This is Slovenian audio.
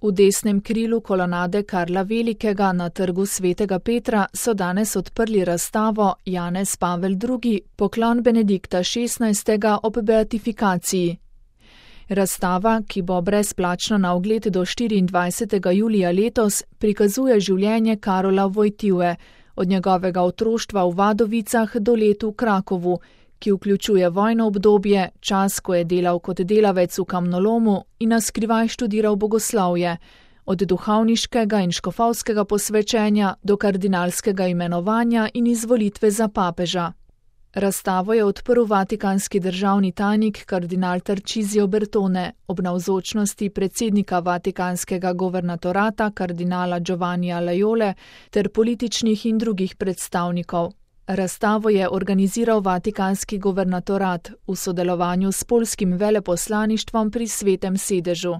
V desnem krilu kolonade Karla Velikega na trgu Svetega Petra so danes odprli razstavo Janez Pavel II. Poklon Benedikta XVI. Ob beatifikaciji. Razstava, ki bo brezplačna na ogled do 24. julija letos, prikazuje življenje Karola Wojtyły, od njegovega otroštva v Vadovicah do let v Krakovu, ki vključuje vojno obdobje, čas, ko je delal kot delavec v kamnolomu in na skrivaj študiral bogoslovje, od duhovniškega in škofovskega posvečenja do kardinalskega imenovanja in izvolitve za papeža. Razstavo je odprl vatikanski državni tajnik kardinal Tarcisio Bertone ob navzočnosti predsednika vatikanskega governatorata kardinala Giovannija Laiole ter političnih in drugih predstavnikov. Razstavo je organiziral vatikanski governatorat v sodelovanju s poljskim veleposlaništvom pri Svetem sedežu.